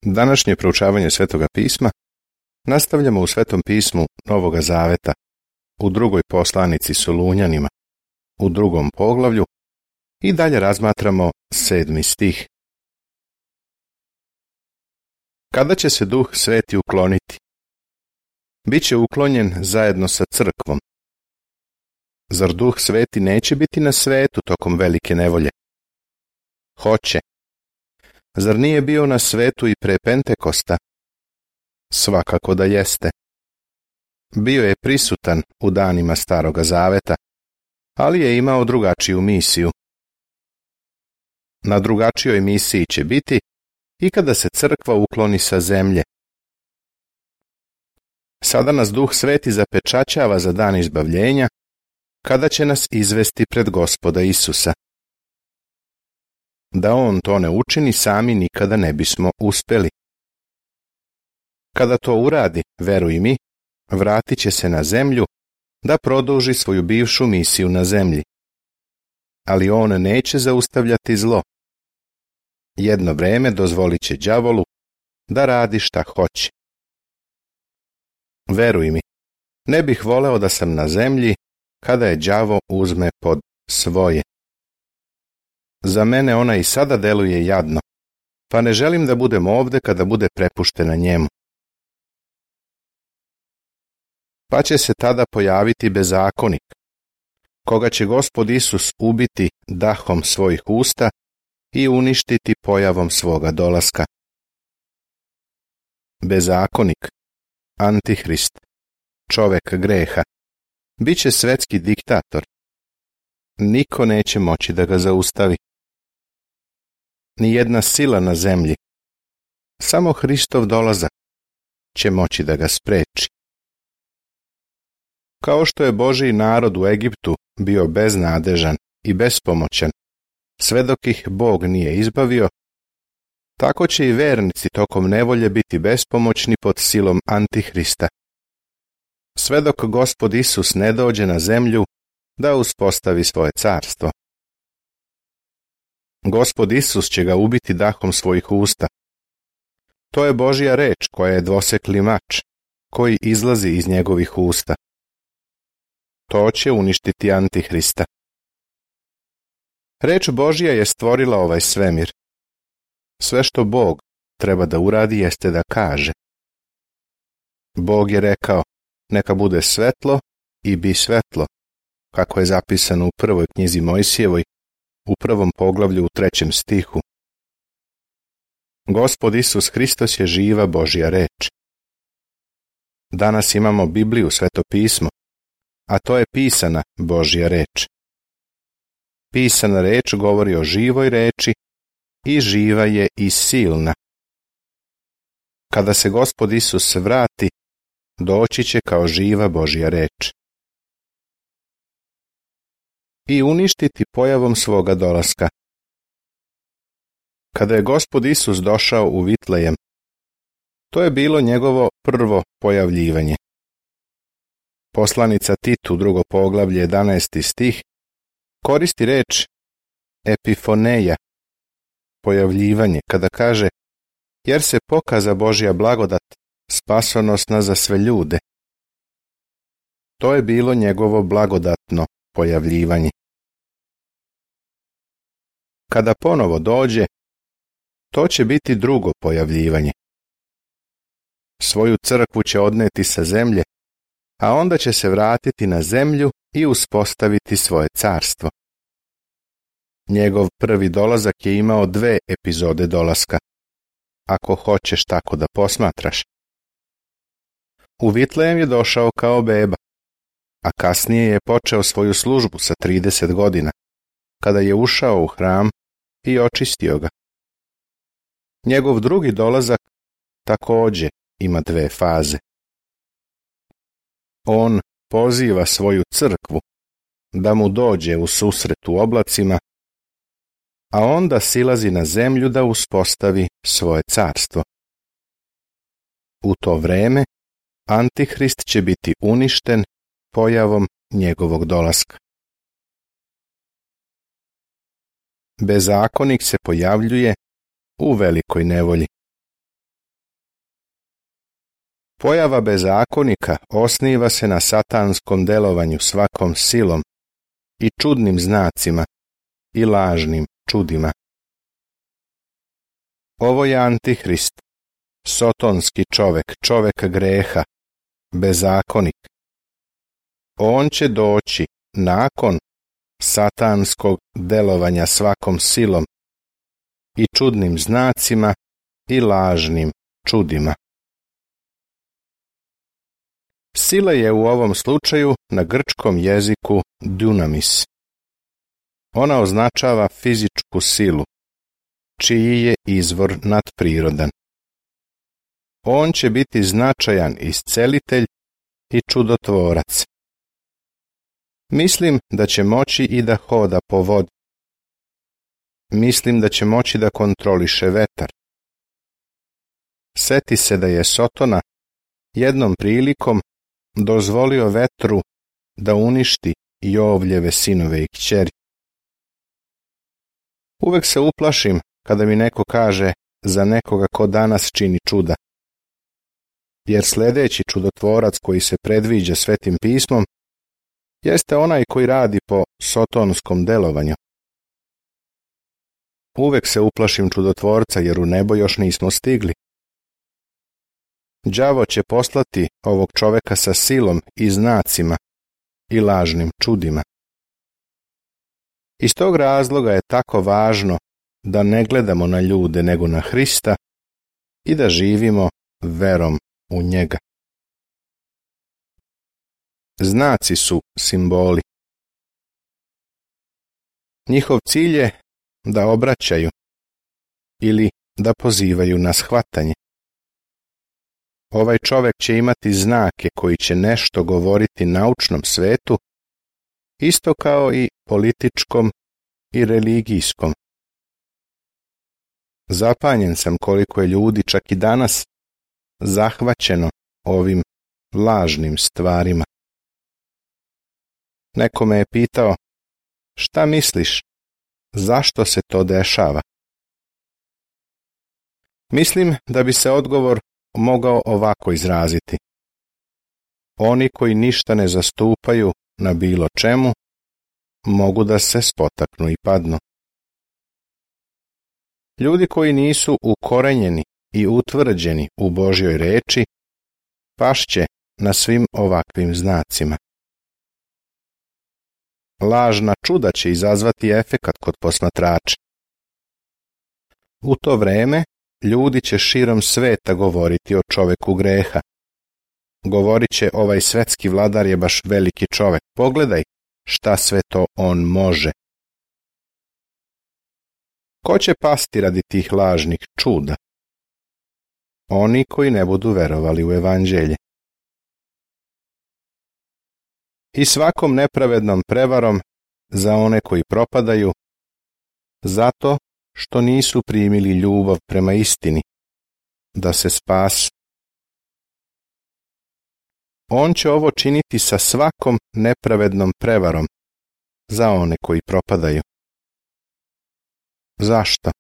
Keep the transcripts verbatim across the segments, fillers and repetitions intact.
Današnje proučavanje Svetoga pisma nastavljamo u Svetom pismu Novoga Zaveta, u drugoj poslanici Solunjanima, u drugom poglavlju i dalje razmatramo sedmi stih. Kada će se Duh Sveti ukloniti? Biće uklonjen zajedno sa crkvom. Zar Duh Sveti neće biti na svetu tokom velike nevolje? Hoće. Zar nije bio na svetu i pre Pentekosta? Svakako da jeste. Bio je prisutan u danima Staroga Zaveta, ali je imao drugačiju misiju. Na drugačijoj misiji će biti i kada se crkva ukloni sa zemlje. Sada nas Duh Sveti zapečaćava za dan izbavljenja, kada će nas izvesti pred Gospoda Isusa. Da On to ne učini, sami nikada ne bismo uspeli. Kada to uradi, veruj mi, vratit će se na zemlju da produži svoju bivšu misiju na zemlji. Ali On neće zaustavljati zlo. Jedno vreme dozvolit će đavolu da radi šta hoće. Veruj mi, ne bih voleo da sam na zemlji kada je đavo uzme pod svoje. Za mene ona i sada deluje jadno, pa ne želim da budem ovde kada bude prepuštena njemu. Pa će se tada pojaviti bezakonik, koga će Gospod Isus ubiti dahom svojih usta i uništiti pojavom svoga dolaska. Bezakonik, Antihrist, čovek greha, bit će svetski diktator. Niko neće moći da ga zaustavi. Nijedna sila na zemlji, samo Hristov dolazak će moći da ga spreči. Kao što je Božji narod u Egiptu bio beznadežan i bespomoćan, sve dok ih Bog nije izbavio, tako će i vernici tokom nevolje biti bespomoćni pod silom Antihrista. Sve dok Gospod Isus ne dođe na zemlju da uspostavi svoje carstvo. Gospod Isus će ga ubiti dahom svojih usta. To je Božja reč koja je dvosekli mač, koji izlazi iz njegovih usta. To će uništiti Antihrista. Reč Božja je stvorila ovaj svemir. Sve što Bog treba da uradi jeste da kaže. Bog je rekao, neka bude svetlo i bi svetlo, kako je zapisano u prvoj knjizi Mojsijevoj, u prvom poglavlju u trećem stihu. Gospod Isus Hristos je živa Božja reč. Danas imamo Bibliju, Sveto pismo, a to je pisana Božja reč. Pisana reč govori o živoj reči i živa je i silna. Kada se Gospod Isus vrati, doći će kao živa Božja reč. I uništiti pojavom svoga dolaska. Kada je Gospod Isus došao u Vitlejem, to je bilo njegovo prvo pojavljivanje. Poslanica Titu, drugo poglavlje, jedanaesti stih, koristi reč epifoneja, pojavljivanje, kada kaže, jer se pokaza Božja blagodat, spasonosna za sve ljude. To je bilo njegovo blagodatno pojavljivanje. Kada ponovo dođe, to će biti drugo pojavljivanje. Svoju crkvu će odneti sa zemlje, a onda će se vratiti na zemlju i uspostaviti svoje carstvo. Njegov prvi dolazak je imao dve epizode dolaska, ako hoćeš tako da posmatraš. U Vitlejem je došao kao beba, a kasnije je počeo svoju službu sa trideset godina, kada je ušao u hram i očistio ga. Njegov drugi dolazak takođe ima dve faze. On poziva svoju crkvu da mu dođe u susret u oblacima, a onda silazi na zemlju da uspostavi svoje carstvo. U to vreme Antihrist će biti uništen pojavom njegovog dolaska. Bezakonik se pojavljuje u velikoj nevolji. Pojava bezakonika osniva se na satanskom delovanju svakom silom i čudnim znacima i lažnim čudima. Ovo je Antihrist, sotonski čovek, čovek greha, bezakonik. On će doći nakon satanskog delovanja svakom silom i čudnim znacima i lažnim čudima. Sila je u ovom slučaju na grčkom jeziku dunamis. Ona označava fizičku silu, čiji je izvor nadprirodan. On će biti značajan iscelitelj i čudotvorac. Mislim da će moći i da hoda po vodi. Mislim da će moći da kontroliše vetar. Seti se da je Sotona jednom prilikom dozvolio vetru da uništi Jovljeve sinove i kćeri. Uvek se uplašim kada mi neko kaže za nekoga ko danas čini čuda. Jer sljedeći čudotvorac koji se predviđa Svetim pismom jeste onaj koji radi po sotonskom delovanju. Uvek se uplašim čudotvorca jer u nebo još nismo stigli. Đavo će poslati ovog čoveka sa silom i znacima i lažnim čudima. Iz tog razloga je tako važno da ne gledamo na ljude nego na Hrista i da živimo verom u njega. Znaci su simboli. Njihov cilj je da obraćaju ili da pozivaju na shvatanje. Ovaj čovek će imati znake koji će nešto govoriti naučnom svetu, isto kao i političkom i religijskom. Zapanjen sam koliko je ljudi čak i danas zahvaćeno ovim lažnim stvarima. Neko me je pitao, šta misliš, zašto se to dešava? Mislim da bi se odgovor mogao ovako izraziti. Oni koji ništa ne zastupaju na bilo čemu, mogu da se spotaknu i padnu. Ljudi koji nisu ukorenjeni i utvrđeni u Božjoj reči, pašće na svim ovakvim znacima. Lažna čuda će izazvati efekat kod posmatrača. U to vreme ljudi će širom sveta govoriti o čoveku greha. Govorit će, ovaj svetski vladar je baš veliki čovek. Pogledaj šta sve to on može. Ko će pasti radi tih lažnih čuda? Oni koji ne budu verovali u evanđelje. I svakom nepravednom prevarom za one koji propadaju, zato što nisu primili ljubav prema istini, da se spasu. On će ovo činiti sa svakom nepravednom prevarom za one koji propadaju. Zašto?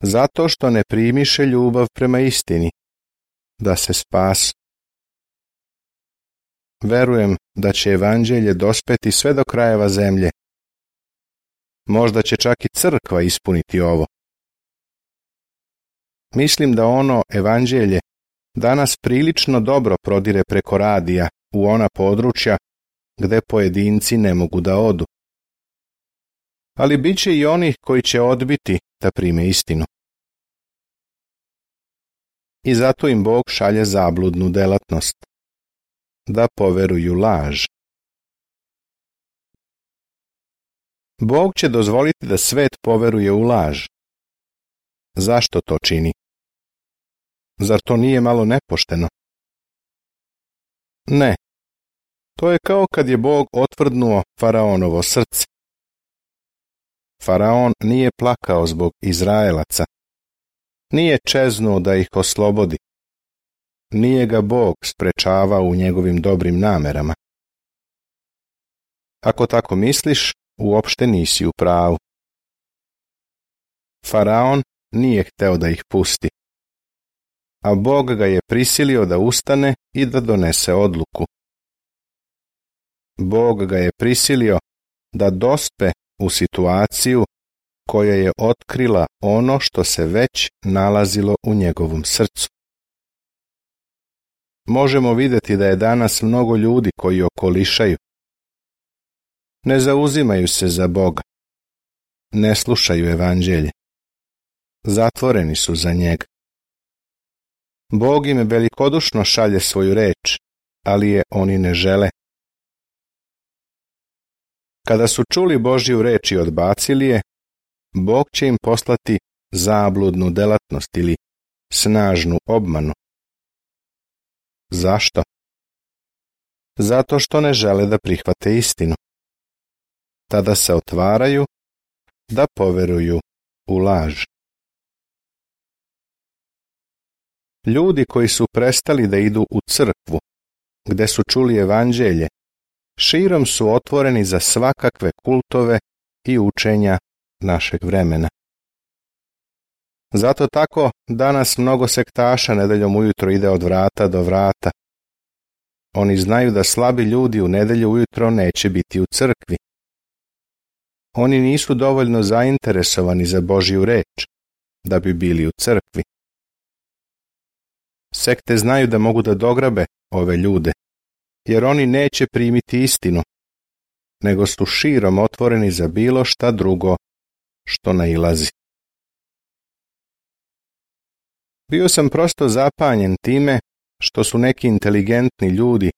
Zato što ne primiše ljubav prema istini, da se spasu. Verujem da će evanđelje dospeti sve do krajeva zemlje. Možda će čak i crkva ispuniti ovo. Mislim da ono evanđelje danas prilično dobro prodire preko radija u ona područja gde pojedinci ne mogu da odu. Ali bit će i onih koji će odbiti da prime istinu. I zato im Bog šalje zabludnu delatnost, da poveruju laž. Bog će dozvoliti da svet poveruje u laž. Zašto to čini? Zar to nije malo nepošteno? Ne. To je kao kad je Bog otvrdnuo Faraonovo srce. Faraon nije plakao zbog Izraelaca. Nije čeznuo da ih oslobodi. Nije ga Bog sprečavao u njegovim dobrim namerama. Ako tako misliš, uopšte nisi u pravu. Faraon nije hteo da ih pusti. a Bog ga je prisilio da ustane i da donese odluku. Bog ga je prisilio da dospe u situaciju koja je otkrila ono što se već nalazilo u njegovom srcu. Možemo vidjeti da je danas mnogo ljudi koji okolišaju. Ne zauzimaju se za Boga. Ne slušaju evanđelje. Zatvoreni su za njega. Bog im velikodušno šalje svoju reč, ali je oni ne žele. Kada su čuli Božju reč i odbacili je, Bog će im poslati zabludnu delatnost ili snažnu obmanu. Zašto? Zato što ne žele da prihvate istinu. Tada se otvaraju da poveruju u laž. Ljudi koji su prestali da idu u crkvu, gde su čuli evanđelje, širom su otvoreni za svakakve kultove i učenja našeg vremena. Zato tako danas mnogo sektaša nedeljom ujutro ide od vrata do vrata. Oni znaju da slabi ljudi u nedelju ujutro neće biti u crkvi. Oni nisu dovoljno zainteresovani za Božju reč da bi bili u crkvi. Sekte znaju da mogu da dograbe ove ljude, jer oni neće primiti istinu, nego su širom otvoreni za bilo šta drugo što nailazi. Bio sam prosto zapanjen time što su neki inteligentni ljudi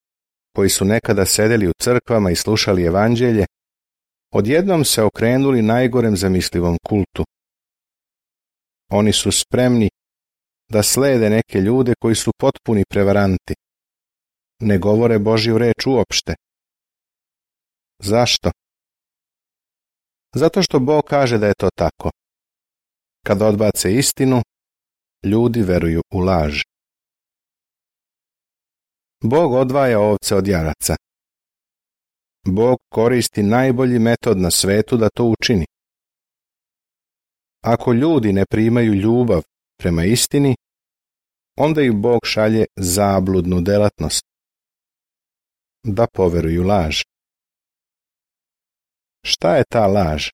koji su nekada sedeli u crkvama i slušali evanđelje, odjednom se okrenuli najgorem zamislivom kultu. Oni su spremni da slede neke ljude koji su potpuni prevaranti. Ne govore Božju reč uopšte. Zašto? Zato što Bog kaže da je to tako. Kad odbace istinu, ljudi veruju u laž. Bog odvaja ovce od jaraca. Bog koristi najbolji metod na svetu da to učini. Ako ljudi ne primaju ljubav prema istini, onda im Bog šalje zabludnu delatnost. Da poveruju laž. Šta je ta laž?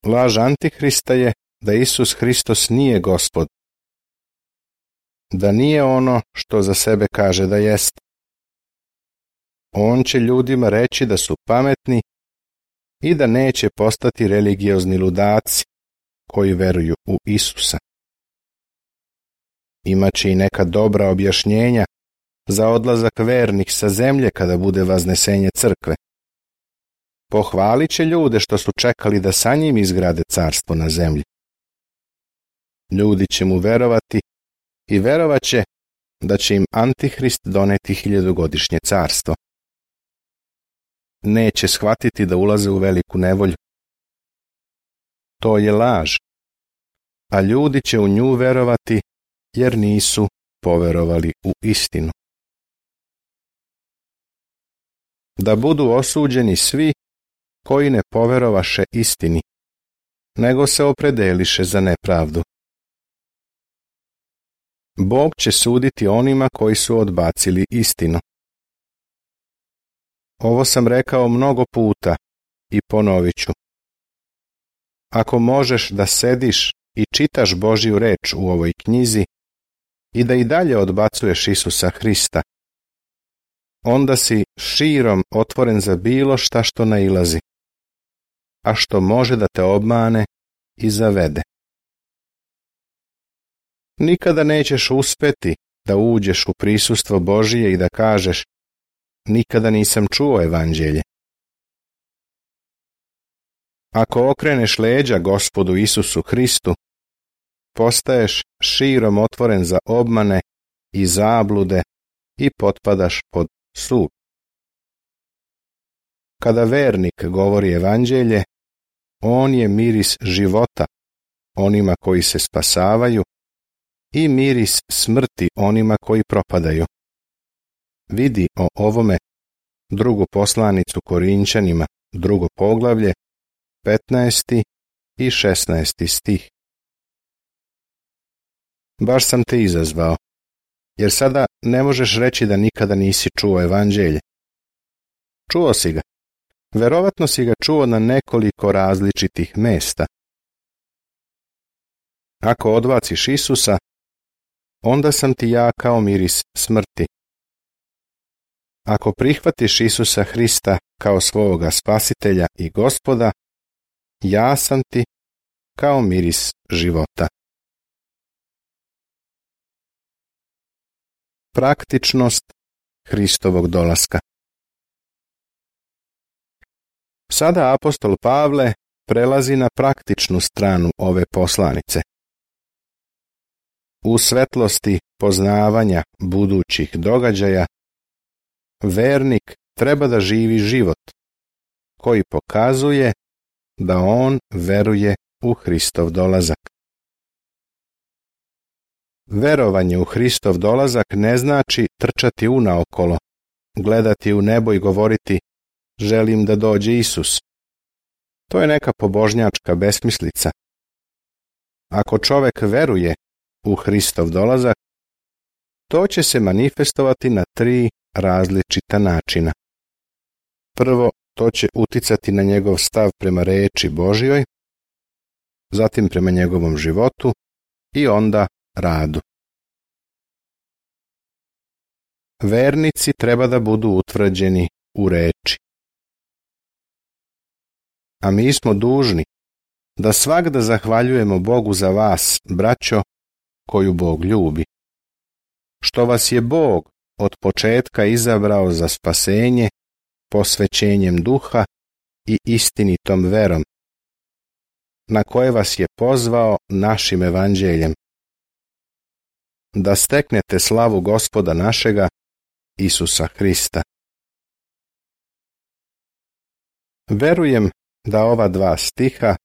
Laž Antihrista je da Isus Hristos nije Gospod, da nije ono što za sebe kaže da jest. On će ljudima reći da su pametni i da neće postati religiozni ludaci koji veruju u Isusa. Imaće i neka dobra objašnjenja za odlazak vernih sa zemlje kada bude vaznesenje crkve. Pohvalit će ljude što su čekali da sa njim izgrade carstvo na zemlji. Ljudi će mu verovati i verovat će da će im Antihrist doneti hiljadugodišnje carstvo. Neće shvatiti da ulaze u veliku nevolju. To je laž, a ljudi će u nju verovati jer nisu poverovali u istinu. Da budu osuđeni svi koji ne poverovaše istini, nego se opredeliše za nepravdu. Bog će suditi onima koji su odbacili istinu. Ovo sam rekao mnogo puta i ponovit ću. Ako možeš da sediš i čitaš Božju reč u ovoj knjizi i da i dalje odbacuješ Isusa Hrista, onda si širom otvoren za bilo šta što nailazi, a što može da te obmane i zavede. Nikada nećeš uspeti da uđeš u prisustvo Božije i da kažeš: nikada nisam čuo evanđelje. Ako okreneš leđa Gospodu Isusu Hristu, postaješ širom otvoren za obmane i zablude i potpadaš pod sud. Kada vernik govori evanđelje, on je miris života onima koji se spasavaju i miris smrti onima koji propadaju. Vidi o ovome drugu poslanicu Korinćanima, drugo poglavlje, petnaesti i šesnaesti stih. baš sam te izazvao, jer sada ne možeš reći da nikada nisi čuo evanđelje. Čuo si ga. Verovatno si ga čuo na nekoliko različitih mesta. Ako odbaciš Isusa, onda sam ti ja kao miris smrti. Ako prihvatiš Isusa Hrista kao svoga spasitelja i Gospoda, ja sam ti kao miris života. Praktičnost Hristovog dolaska. Sada apostol Pavle prelazi na praktičnu stranu ove poslanice. U svetlosti poznavanja budućih događaja, vernik treba da živi život koji pokazuje da on veruje u Hristov dolazak. Verovanje u Hristov dolazak ne znači trčati unaokolo, gledati u nebo i govoriti želim da dođe Isus. To je neka pobožnjačka besmislica. Ako čovek veruje u Hristov dolazak, to će se manifestovati na tri različita načina. Prvo, to će uticati na njegov stav prema reči Božjoj, zatim prema njegovom životu i onda radu. Vernici treba da budu utvrđeni u reči. A mi smo dužni da svagda zahvaljujemo Bogu za vas, braćo, koju Bog ljubi. Što vas je Bog od početka izabrao za spasenje, posvećenjem duha i istinitom verom, na koje vas je pozvao našim evanđeljem, da steknete slavu Gospoda našega, Isusa Hrista. Verujem da ova dva stiha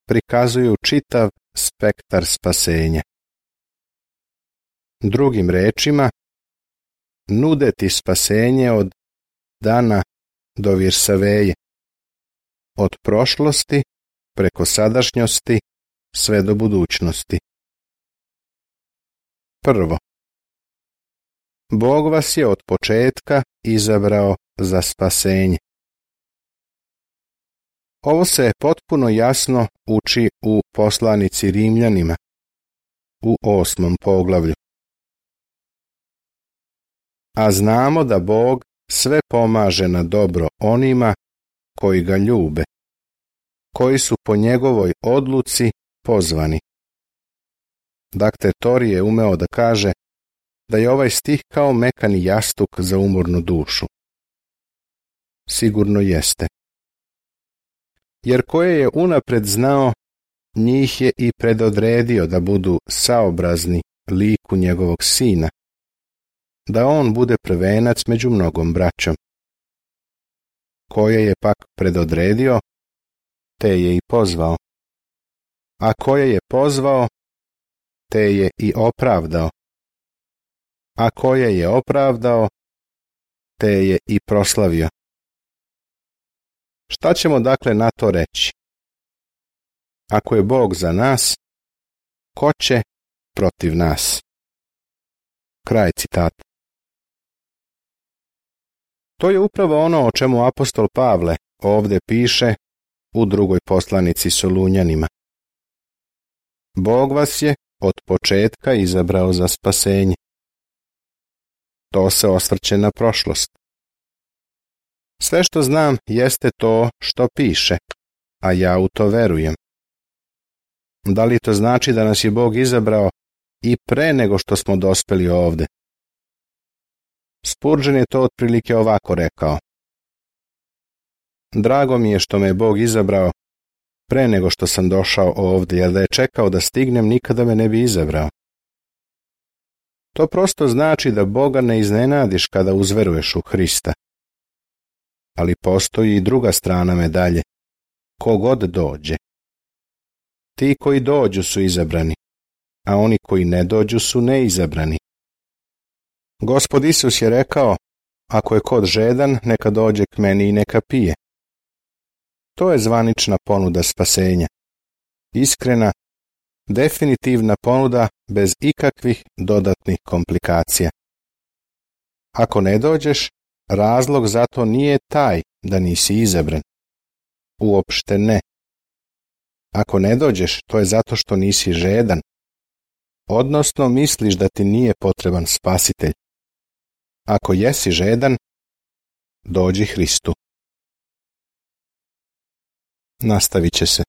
prikazuju čitav spektar spasenja. Drugim rečima, nude ti spasenje od dana do Virsaveje, od prošlosti preko sadašnjosti sve do budućnosti. Prvo, Bog vas je od početka izabrao za spasenje. Ovo se potpuno jasno uči u poslanici Rimljanima, u osmom poglavlju. A znamo da Bog sve pomaže na dobro onima koji ga ljube, koji su po njegovoj odluci pozvani. Dakle, Tori je umeo da kaže da je ovaj stih kao mekani jastuk za umornu dušu. Sigurno jeste. Jer koje je unapred znao, njih je i predodredio da budu saobrazni liku njegovog sina, da on bude prvenac među mnogom braćom. Koje je pak predodredio, te je i pozvao. A koje je pozvao, te je i opravdao. A koje je opravdao, te je i proslavio. Šta ćemo dakle na to reći? Ako je Bog za nas, ko će protiv nas? Kraj citata. To je upravo ono o čemu apostol Pavle ovdje piše u drugoj poslanici Solunjanima. Bog vas je od početka izabrao za spasenje. To se osvrće na prošlost. Sve što znam jeste to što piše, a ja u to verujem. Da li to znači da nas je Bog izabrao i pre nego što smo dospeli ovde? Spurgeon je to otprilike ovako rekao. Drago mi je što me je Bog izabrao pre nego što sam došao ovde, jer da je čekao da stignem, nikada me ne bi izabrao. To prosto znači da Boga ne iznenadiš kada uzveruješ u Hrista. Ali postoji i druga strana medalje. Kogod dođe. Ti koji dođu su izabrani, a oni koji ne dođu su neizabrani. Gospod Isus je rekao, ako je kod žedan, neka dođe k meni i neka pije. To je zvanična ponuda spasenja. Iskrena, definitivna ponuda bez ikakvih dodatnih komplikacija. Ako ne dođeš, razlog za to nije taj da nisi izabran. Uopšte ne. Ako ne dođeš, to je zato što nisi žedan, odnosno misliš da ti nije potreban spasitelj. Ako jesi žedan, dođi Hristu. Nastavit će se.